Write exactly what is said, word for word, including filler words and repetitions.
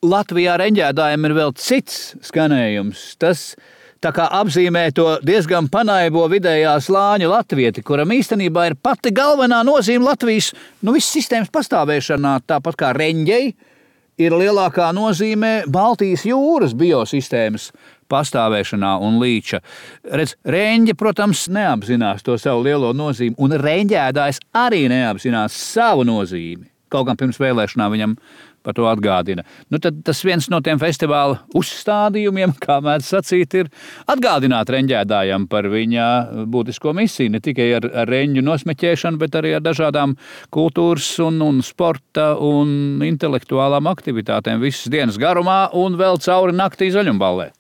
Latvijā reņģēdājiem ir vēl cits skanējums. Tas tā kā apzīmē to diezgan panaibo vidējā slāņa latvieti, kuram īstenībā ir pati galvenā nozīme Latvijas nu, visas sistēmas pastāvēšanā, tāpat kā reņģei ir lielākā nozīme Baltijas jūras biosistēmas pastāvēšanā un līča. Redz, reņģe, protams, neapzinās to savu lielo nozīmi, un reņģēdājs arī neapzinās savu nozīmi. Kaut gan pirms vēlēšanām viņam par to atgādina. Nu, tad tas viens no tiem festivāla uzstādījumiem, kā mēdz sacīt, ir atgādināt reņģēdājam par viņa būtisko misiju, ne tikai ar, ar reņģu nosmeķēšanu, bet arī ar dažādām kultūras un, un sporta un intelektuālām aktivitātēm visas dienas garumā un vēl cauri naktī Zaļumballē.